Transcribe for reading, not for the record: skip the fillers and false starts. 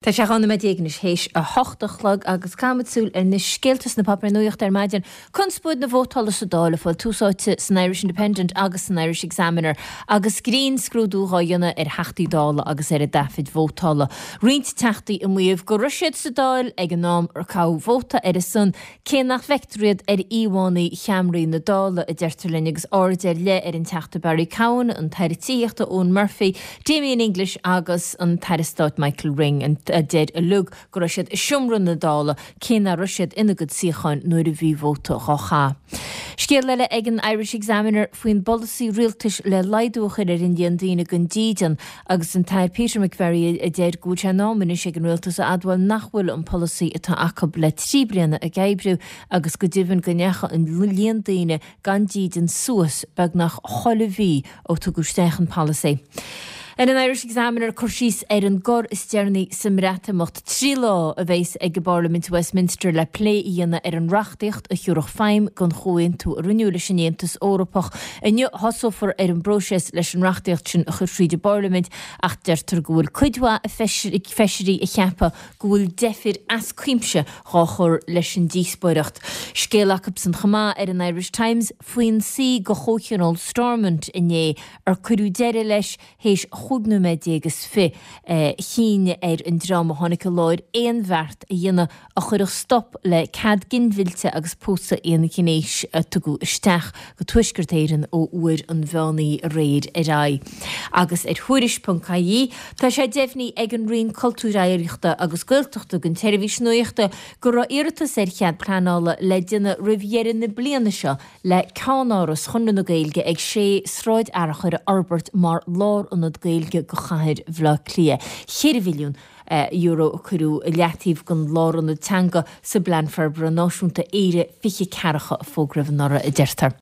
Tá sé 12 nóiméad anois théis 8 a chlog agus caithfimid súil ar na scéalta sna páipéir nuachta ar maidin. Conspóid na vótála sa Dáil ag fáil tús áite san Irish Independent agus san Irish Examiner agus grinnscrúdú dhá dhéanamh ar Theachtaí Dála agus ar a dtaifid vótála. Roinnt Teachtaí ag maíomh go raibh siad sa Dáil ag an am ar caitheadh vóta ar a son Cé nach bhfeictear iad ar íomhánna cheamaraí na Dála, a deirtear linn, agus aird ar leith ar an Teachta Barry Cowen, an tAire Tithíochta Eoghan Murphy, Damien English agus an tAire Stáit Michael Ring, a deir uilig go raibh siad i seomra na Dála cé nach raibh siad ina gcuid suíocháin nuair a bhí vóta dhá chaitheamh. Scéal eile ag an Irish Examiner faoin bpolasaí rialtais le laghdú a chur ar an líon daoine gan dídean Agus an tAire Peter McVerry a deir go bhfuil sé in am anois ag an Rialtas a admháil nach bhfuil an polasaí atá acu le 3 bliana ag oibriú agus go deimhin go ndeachaigh an líon daoine gan dídean suas beagnach chuile mhí ó tugadh isteach an polasaí. Ar an Irish Examiner cur síos ar an gcor is deireanaí sa mBreatimeacht. 3 lá a bheas ag an bParlaimint i Westminster le plé a dhéanamh ar an reachtaíocht a thiúrfadh feidhm don chomhaontú a rinneadh leis an Aontas Eorpach. Inniu thosófar ar an bpróiseas leis an reachtaíocht sin a chur fríd an bParlaimint ach deirtear go bhfuil cuid mhaith feisirí ag ceapadh go bhfuil deifir as cuimse dhá chur leis an díospóireacht. Scéal acubsan chomh maith ar an Irish Times faoin suí de chomhthionól Stormont inné ar cuireadh deireadh leis théis chúig nóiméad déag is fi. Chinn ar an dream a tháinig i láthair aon bheart a dhéanamh a chuirfeadh stop le cead ginmhillte agus pósadh aonghnéis a tugadh isteach go Tuaisceart Éireann ó uair an mheán oíche aréir ar aghaidh. Agus ar Thuairisc ponc ie, tá sé deimhnithe ag an Roinn Cultúir Oidhreachta agus Gaeltachta don tseirbhís nuachta go raibh iarratas ar chead pleanála le déanamh roimh dheireadh na bliana seo le ceannáras Chonradh na Gaeilge ag 6 Sráid Fhearchair a fhorbairt mar lárionad Gaeilge go chathair Bhaile Átha Cliath. €4 mhilliún a cuireadh i leataobh don lárionad teanga sa bPlean Forbartha Náisiúnta Éire 20 40 a fógraíodh anuraidh, a deirtear.